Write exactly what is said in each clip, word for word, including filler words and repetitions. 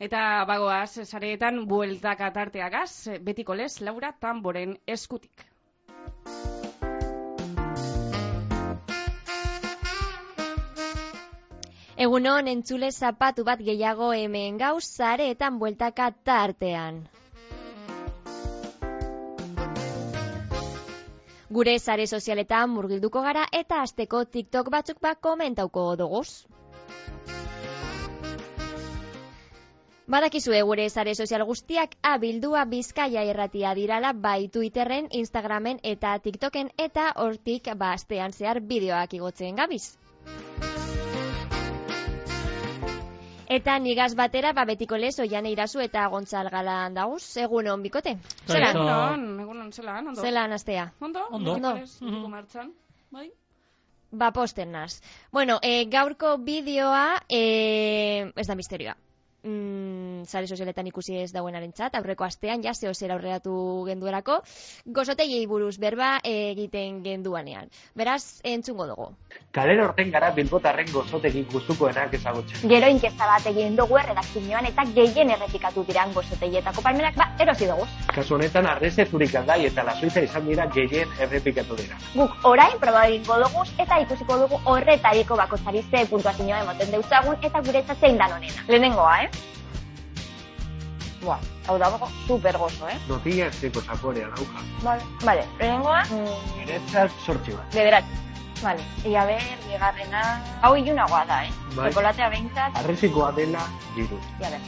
Eta bagoaz, sareetan bueltaka tarteagaz, betiko lez, Laura Tamboren eskutik. Egunon, entzule zapatu bat gehiago hemen gauz, sareetan bueltaka tartean. Gure sare sozialetan murgilduko gara eta asteko TikTok batzuk bat komentauko doguz. Badakizue gure sare sozial guztiak abildua Bizkaia irratia dirala bai Twitterren, Instagramen eta TikToken eta hortik ba astean zehar bideoak igotzen gabiz. Eta nigaz batera, ba betiko lez, Oiane Irazu eta Gontzal Galan dauz, egunon bikote. Zelan? Egunon, egunon, zelan, ondo. Zelan astea. Ondo? Ondo. Ondo. Ondo. Martxan, bai? Ba posten naz. Bueno, e, gaurko bideoa, e, ez da misterioa. Mm, sare sozialetan ikusi ez dauenaren txat, aurreko astean, ja, zeo zera aurreratu genduerako, gozoteiei buruz berba egiten genduanean. Beraz, entzungo dugu. Kalera horten gara bilbotarren gozotegi gustukoenak ezagutzen. Gero inkesta bat egin dugu erredakzioan eta gehien errepikatu diran gozotegietako palmerak ba erosi dugu. Kasu honetan Arrese, Zurikaldai eta Lazuiza izan dira gehien errepikatu dira. Guk orain proba egingo dugu eta ikusiko dugu horretariko bakoitzari ze puntuazioa ematen deutzagun eta guretzat zein dan honena. Lehenengoa, eh? Buah, hau dago super gozo, eh? Notilla esteko zaporea dauka. Vale, vale. Lehenengoa, mm, Niretzat sortzi bat. bederatzi. Vale. Ia ber, bigarrena... Hau ilunagoa da, eh? Bai. Chokolatea behintzat... Arresikoa dela giru. Ia ber.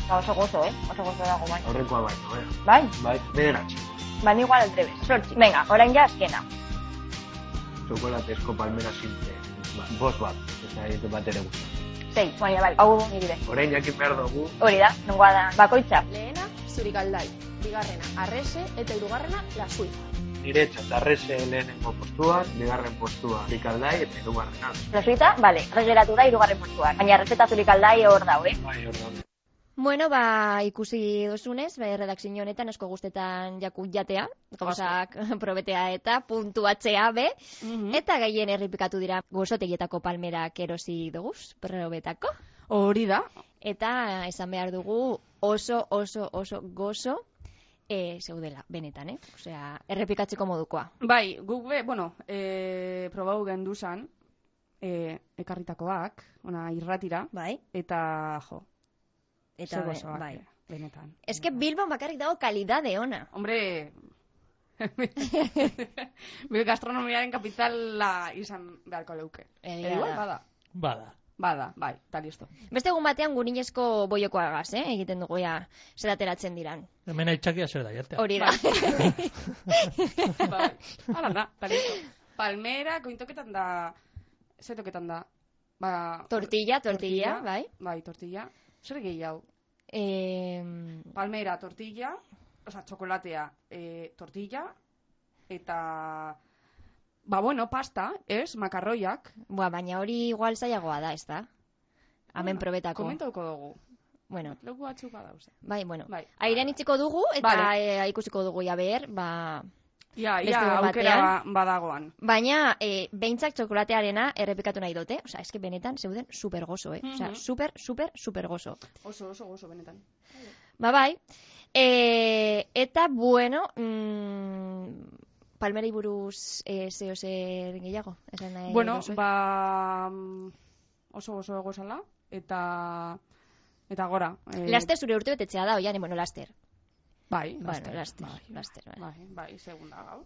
Ba, oso gozo, eh? Oso gozo dago, bai. Horrekoa baino, eh? Bai? Bai, bederatzi. Ba, igual al revés. Sortzi. Venga, orain ja azkena. Txokolatezko palmera simple. Ba, bost bat. Eta egiten bat ere guztu. Sei, baina bai, hau niri be. Orain jakin behar dugu. Hori da, nongoa da. Bakoitza. Lehena, Zurikaldai, bigarrena, Arrese eta hirugarrena, Lazuiza. Niretzat Arrese lehenengo postuan, bigarren postuan Zurikaldai eta hirugarrena. Lazuiza, bale, regeratu da hirugarren postuan. Baina Arrese eta Zurikaldai hor dau, eh? Bai, hor daude. Bueno, ba, ikusi dozunez, ba, redakzio honetan asko guztetan jaku jatea, gauzak probetea eta puntuatzea be, Mhm. eta gehien errepikatu dira gozotegietako palmerak erosi duguz, probetako. Hori da. Eta esan behar dugu oso, oso, oso gozo e, zeudela, benetan, eh? Osea, errepikatzeko modukoa. Bai, guk be, bueno, e, probau genduzan, e, ekarritakoak, ona irratira, Bai? eta jo, Eta ze be- gozoak, bai. benetan. Ez que Bilbon bakarrik dago kalidade ona. Hombre, bil gastronomiaren kapitala izan beharko leuke. Egia Edo igual, da. bada. Bada. Bada, bai, eta listo. Beste egun batean gurinezko boiokoa gaz, eh? Egiten dugu ja, zer ateratzen diran. Hemen aitzakia zer da, jatea. Hori da. Bai, ala da, eta listo. Palmera, kointoketan da, ze toketan da? Ba, Tortilla, tortilla, bai. Bai, tortilla. Zer gehiago? Eh, Palmera, tortilla, oza, txokolatea, e, tortilla, eta, ba, bueno, pasta, ez, makarroiak. Boa, baina hori igual zailagoa da, ez da? Hemen Bueno, probetako. Komentauko dugu. Bueno, Leku batzuk badauze. bai, bueno. Bai. Airean itziko dugu, eta Vale. eh, ikusiko dugu ja behar, ba... Ia, Beste ia, egun aukera batean. ba- badagoan. Baina, e, behintzak txokolatearena errepikatu nahi dute. Osea, eske benetan zeuden super gozo, eh? Osea, Mhm. super, super, super gozo. Oso, oso, oso, benetan. Ba, bai. E, eta, bueno, mm, palmerei buruz e, zeo zer gehiago? Esan nahi Bueno, duzue? ba, mm, oso, oso egozala, eta, eta gora. Eh, Laster zure urte betetzea da, oian, bueno, laster. Bai, Bueno, laster. laster, Bai, laster, bai. bai, bai, segunda gaur.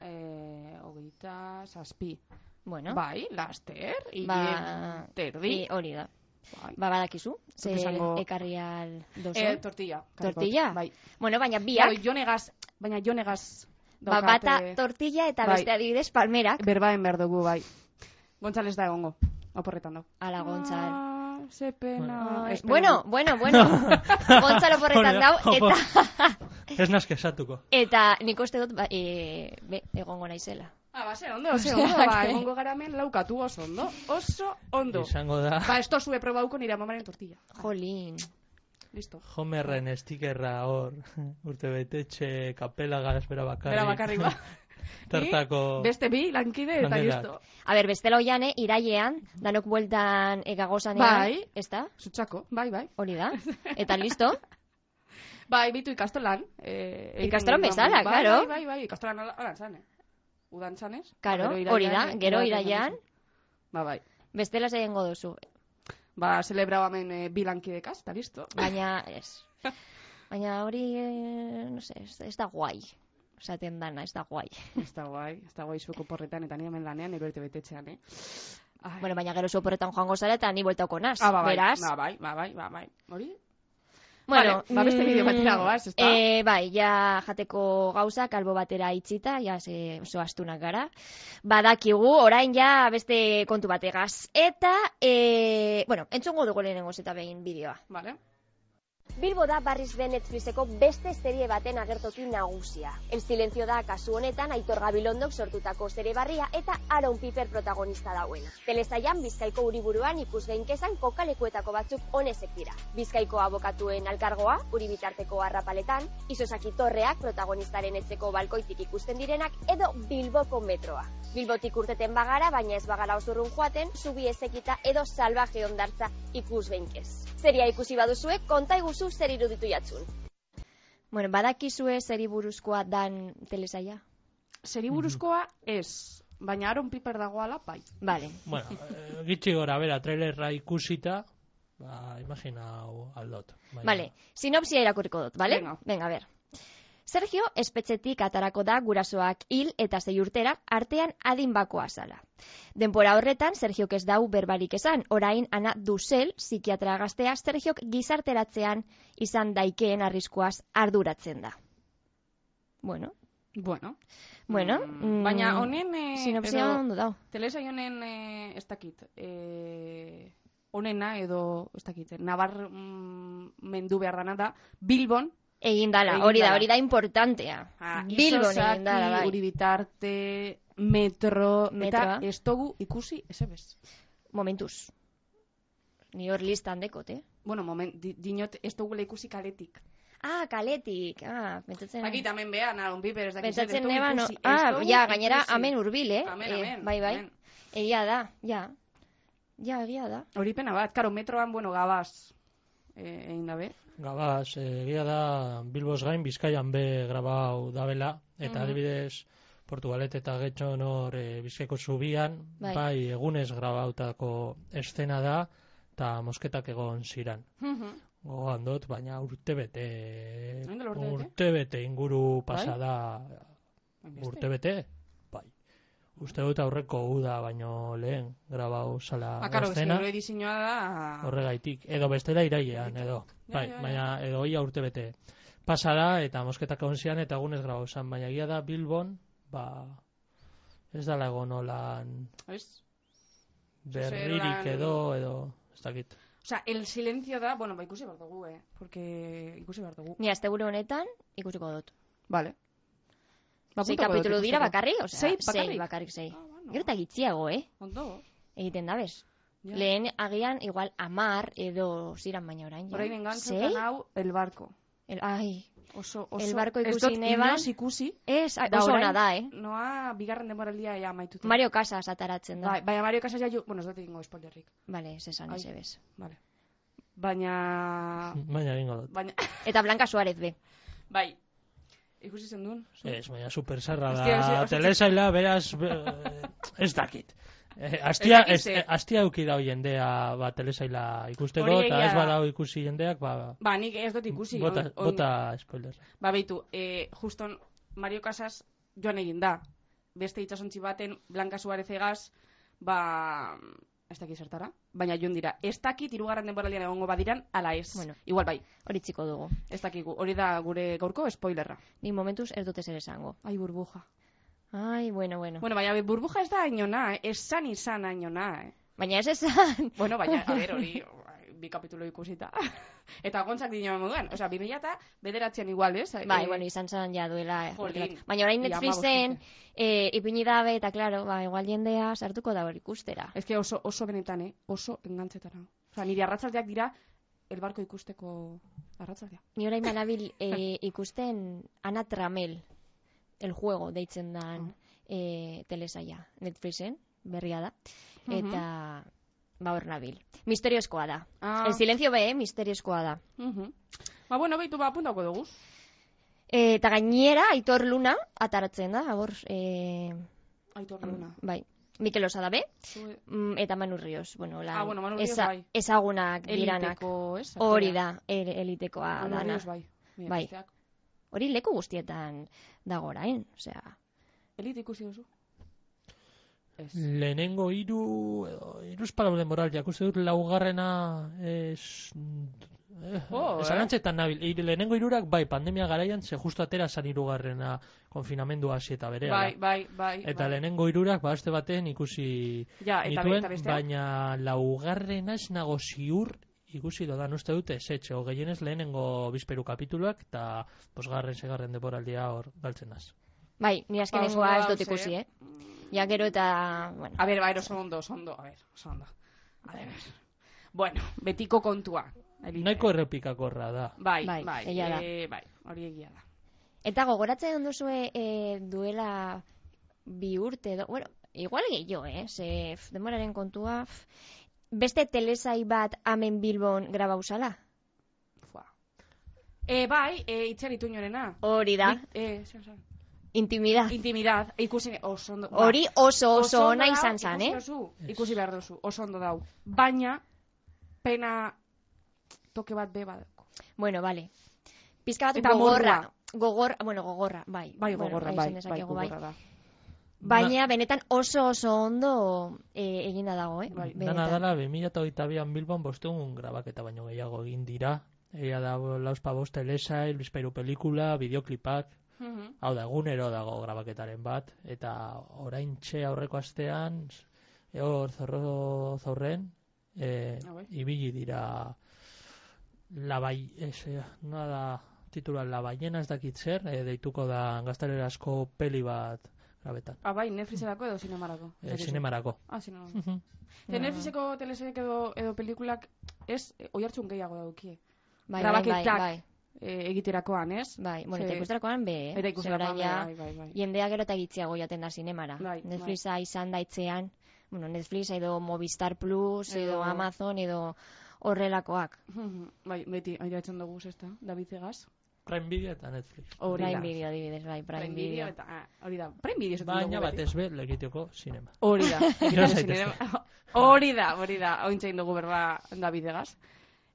Eh, hogeita zazpi. Bueno, Bai, laster, hile ba, terdi. e, hori da. Bai. Ba, badakizu, ze Esango- ekarri al dozu. Eh, tortilla. karikot. Tortilla? Bai. Bueno, baina biak, Claro, jonegaz, baina jonegaz ba, bata tortilla eta Bai. beste adibidez palmerak. berbaen behar dugu, bai. Gontzales da egongo, oporretan dago. Ala, Gontzal. Ah, ze pena. Ai, Espero bueno, du. bueno, bueno. Gontzalo porretan dau, eta... Ez nazke esatuko. Eta nik uste dut, ba, e, be, egongo naizela. Ah, ba, ze ondo, ze ondo, Osea, ba, que- egongo garamen laukatu oso ondo. Oso ondo. Izango da, Ba, esto zue probauko nire amamaren tortilla. Jolín. Listo. Homerren estikerra hor, urte betetxe, kapela gaz, bera bakarrik. Bera bakarrik, ba. Tartako... Beste bi, lankide, eta Lanerak. listo. A ber, bestela oian, eh, irailean, danok bueltan egagozanean, Bai. ez da? Zutxako, bai, bai. Hori da. Eta listo? Bai, bitu ikastolan. Eh, egiten Ikastolan genuen, bezala, bai, claro. Bai, bai, bai, ikastolan holan zan, eh? Udan zanez. Karo, Gero hori da, irailean, gero eh, irailean, Ba, bai. bestela zeiengo duzu. Ba, celebrau hemen eh, bi lankidekaz, eta listo. Baina, ez. Baina hori, eh, no sé, ez, ez da guai. Esaten dana, ez da guai. Ez da guai, ez da guai zueko porretan, eta ni hemen lanean, ero erte betetxean, eh? Ai. Bueno, baina gero soporretan joango zara eta ni bueltauko naz, Ah, ba, bai, beraz. ba, bai, ba, bai, ba, bai. Hori? Bueno, Vale, ba, beste mm, bideo batera goaz, ezta? Eh, bai, ja jateko gauzak albo batera itxita, ja ze oso astunak gara. Badakigu, orain ja beste kontu bategaz. Eta, eh, bueno, entzungo dugu lehenengoz eta behin bideoa. Vale. Bilbo da barriz den Netflixeko beste serie baten agertoki nagusia. El Silencio da kasu honetan Aitor Gabilondok sortutako serie barria eta Aaron Piper protagonista dauena. Telesailan Bizkaiko uriburuan ikusgainkezan kokalekuetako batzuk honezek dira. Bizkaiko abokatuen alkargoa, uri bitarteko arrapaletan, Isosaki Torreak protagonistaren etzeko balkoitik ikusten direnak edo Bilboko metroa. Bilbotik urteten bagara, baina ez bagara osurrun joaten, zubi ezekita edo salvaje ondartza ikusgainkez. Seria ikusi baduzue, konta iguzu zer iruditu jatzun. Bueno, badakizue zeri buruzkoa dan telesaia? Zeri buruzkoa ez, baina Aaron Piper dagoala, bai. Vale. Bueno, eh, gitxi gora, bera, trailerra ikusita, ba, imaginau aldot. Baina- Vale, sinopsia irakurriko dut, vale? Venga. Venga, a ver. Sergio espetxetik atarako da gurasoak hil eta sei urtera artean adin bakoa zala. Denbora horretan Sergiok ez dau berbarik esan, orain Ana Dusel, psikiatra gaztea, Sergiok gizarteratzean izan daikeen arriskuaz arduratzen da. Bueno, Bueno. bueno. Mm, baina honen... Eh, sinopsia edo- ondo dau. Telesai honen, eh, ez dakit, eh, honena edo, ez dakit, nabar mm, mendu behar dana da, Bilbon, Egin dala, Egin hori da, dala. hori da importantea. ah, Bilbon Isosaki, egin dala, bai. Uribitarte, metro, Metroa. eta ez dugu ikusi, ez ebez. Momentuz. Ni hor listan dekot, eh? Bueno, moment, di, dinot, ez dugula ikusi kaletik. Ah, kaletik. Ah, pentsatzen... Akit, hemen behan, Aaron Piper, ez dakit, zer, ez Pentsatzen dugu neban, ikusi, ez ah, dugu ja, gainera, ikusi. amen urbil, eh? Amen, Eh, amen, bai, bai. amen. Egia da, ja. Ja, egia da. Hori pena bat, karo, metroan, bueno, gabaz, eh, egin dabe. Gabaz, egia da Bilbos gain Bizkaian be grabau dabela, eta Mhm. adibidez Portugalet eta Getxon hor e, Bizkaiko zubian, Bai. bai. egunez grabautako eszena da, eta mosketak egon ziran. Gogoan dut, baina urtebete, Hain dela urtebete? urtebete inguru Bai? pasada, urtebete, bai. Uste dut aurreko uda, baino lehen grabau zala Ah, karo, eszena. ez diseinua da... Horregaitik, edo bestela irailean, edo. Ja, Bai, ja, ja. baina edo ia urte bete. Pasada eta mosketak egon zian eta egunez grabau zan, baina egia da Bilbon, ba, ez dala egon olan Ez? berririk Zelan- edo, edo, ez dakit. O sea, el silencio da... Bueno, ba, ikusi behar dugu, eh? Porque ikusi behar dugu. Ni astegure honetan ikusiko dut. Vale. Ba, Sei apuntako dut kapitulu dira ikusteko. bakarrik, osea, Sei bakarrik? sei bakarrik sei. Ah, bueno. Gero eta gitxiago, eh? Ondo. Egiten da bez. Ja. Lehen agian igual amar edo ziran baina orain. ja. Orain Sei? engantzutan hau, el barco. El, ai, Oso, oso... El barco ez ikusi dut neban. inoz ikusi. ez, Da oso orain, ona da, eh? Noa, bigarren denboraldia ja maituta. Mario Casas ataratzen da. Bai, baina Mario Casas ja... ju- Bueno, ez dut egingo spoilerrik. Vale, ez esan Ai. ez ebez. Vale. Baina... Baina egingo dut. Baina... Eta Blanca Suárez be. Bai. Ikusi zen duen? Ez, baina supersarra Hostia, hostia, da, hostia. telesaila, beraz, be- ez dakit. Eh, astia, Ez dakit ez, ze. eh, astia euki dau jendea ba, telesaila ikusteko, Hori eta egia ez da. badau ikusi jendeak, ba, Ba, nik ez dut ikusi. bota, on- on- bota spoiler. Ba, beitu, eh, juston Mario Casas joan egin da. Beste itxasontzi baten Blanca Suárez egaz, ba... Ez dakit zertara, baina joan dira. Ez dakit hirugarren denboraldian egongo badiran, ala ez. Bueno. Igual bai, Hori txiko dugu. ez dakigu. Hori da gure gaurko spoilerra. Ni momentuz ez dute zer esango. Ai, burbuja. Ai, bueno, bueno. Bueno, baina burbuja ez da ainona, eh? Esan izan ainona, eh? Baina ez esan. Bueno, baina, a ber, hori, bi kapitulo ikusita. Eta gontzak dino moduan. Osea, bi mila eta bederatzean igual, ez? Bai, Eh, bueno, izan zen ja duela. eh, Jolín. urte bat. Baina orain Ia, Netflixen hamabost eh, ipini dabe, eta claro, ba, igual jendea sartuko da hori ikustera. Ez que oso, oso benetan, eh? Oso engantzetara. Osea, nire arratzaldeak dira, el barko ikusteko arratzaldea. Ni orain manabil eh, ikusten Ana Tramel. El Juego deitzen dan e, telesaia Netflixen, berria da. Eta ba hor nabil. Misteriozkoa da. Ah. El silencio be, misteriozkoa da. Mhm. Ba, bueno, behitu ba, apuntako dugu. Eta gainera, Aitor Luna ataratzen da, hor, e, Aitor Luna. bai, Mikel Osadabe, Zue- mm, eta Manu Rios, bueno, la, Ah, bueno, Manu Rios eza- bai. ezagunak diranak. Eliteko, ez? Hori da, er, elitekoa Manu dana. Rios bai. Mira, Bai. besteak. Hori leku guztietan dago orain, osea, Elite ikusi duzu? Ez. Lehenengo hiru edo hiruz palau denboral jakuste dut laugarrena es eh, Oh, esan eh? antzetan nabil. Hiru- lehenengo hirurak bai pandemia garaian ze justu atera san hirugarrena konfinamendua hasi eta berehala. Bai, bai, bai. Eta bai. lehenengo hirurak ba aste baten ikusi Ja, eta be- nituen, eta besteak? baina laugarrena ez nago ziur ikusi dodan uste dute esetxe, o gehienez lehenengo bizperu kapituluak eta bosgarren, segarren denboraldia hor galtzen az. bai, ni azkenengoa Ba, ez dut oso ikusi, dauz, eh? Ja gero eta, bueno, A ber, bai, oso ondo, oso ondo, a ber, oso ondo. A ver, bueno, betiko kontua. Elite. Nahiko errepikakorra da. Bai, Bai, bai, egia da. eh, bai, hori egia da. eta gogoratzen duzue e, duela bi urte edo, bueno, igual gehiago, eh? Ze, f, denboraren kontua, f, beste telesai bat hemen Bilbon grabauzala? Fua. E, bai, e, itxeritu inorena. Hori da, E, zer, zer. intimidad. Intimidad, ikusi, oso ondo. ba, Hori oso oso ondo ona dau, izan zan, eh? Ikusi duzu, ikusi behar duzu, oso ondo dau. Baina, pena toke bat be badako. Bueno, vale. Pizka bat Eta gogorra. morrua. Gogor, bueno, gogorra, bai. Bai, Bueno, gogorra, bai, bai, esan bai, dezakegu, bai. gogorra da. Baina benetan oso oso ondo e, eginda dago, eh? Bai. Dana Benetan. dala, bi mila hogeita bian Bilbon bosteun grabaketa baino gehiago egin dira. Egia da, lauzpa bost telesail, bizpairu pelikula, bideoklipak. Mhm. Hau da, egunero dago grabaketaren bat. Eta orain txe aurreko astean, e, hor zorro zaurren, e, Ah, bai. ibili dira labai, ez, e, nola da titula La ballena ez dakit zer, e, deituko da gaztelerazko peli bat grabetan. Ah, bai, Netflixerako edo zinemarako. E, Zer zinemarako. Ah, zinemarako. Mhm. Ze Netflixeko telesailak edo, edo pelikulak ez, eh, oihartzun gehiago daukie. Bai, bai, bai, grabaketak. bai. E, egiterakoan, ez? Bai, bueno, Ze- eta ikusterakoan be, eh? Eta ikusterakoan, Ze orain ja bai, bai, bai. jendea gero eta gitziago jaten da zinemara. Bai, Netflixa izan daitzean, bueno, Netflix edo Movistar Plus, edo, Edo- Amazon, edo horrelakoak. Mhm. Bai, beti airatzen dugu, ezta? David Zegaz. Prime Video eta Netflix. Hori Prime da. Video, adibidez, bai, Prime, Prime Video. Video eta ah, hori da. Prime Video esaten Baina dugu beti. batez be, legitioko sinema. Hori da. Gero zaitezte. Zinema- Hori da, hori da. Ointzain dugu berba David Zegaz.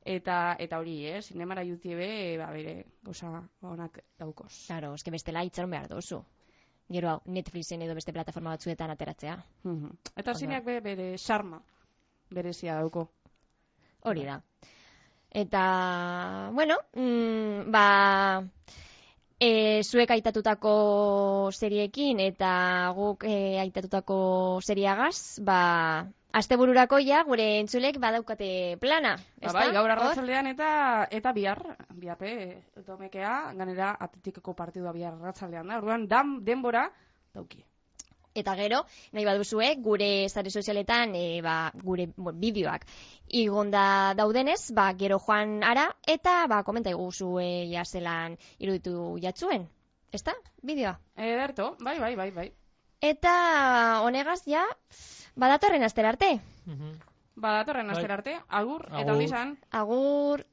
Eta eta hori, eh, zinemara YouTube, ba bere, gauza onak daukoz. Claro, eske bestela itxaron behar duzu. Gero hau, Netflixen edo beste plataforma batzuetan ateratzea. Mhm. Eta zineak be, bere charma berezia dauko. Hori da. Eta, bueno, mm, ba, e, zuek aitatutako seriekin eta guk e, aitatutako seriagaz, ba, astebururako ja gure entzulek badaukate plana. Ba, ezta? bai, gaur Hor? arratsaldean eta eta bihar, biharpe, domekea, ganera atletikeko partidua bihar arratsaldean da. Orduan, dan, denbora dauki. Eta gero, nahi baduzue, gure sare sozialetan, e, ba, gure bueno, bideoak igonda daudenez, ba, gero joan ara, eta ba, komenta iguzu e, ja zelan iruditu jatzuen. Ezta? Bideoa. Ederto, bai, bai, bai, bai. Eta honegaz ja, badatorren astera arte. Mhm. Ba, datorren Bai. astera arte, agur, eta Agur. ondi izan. Agur.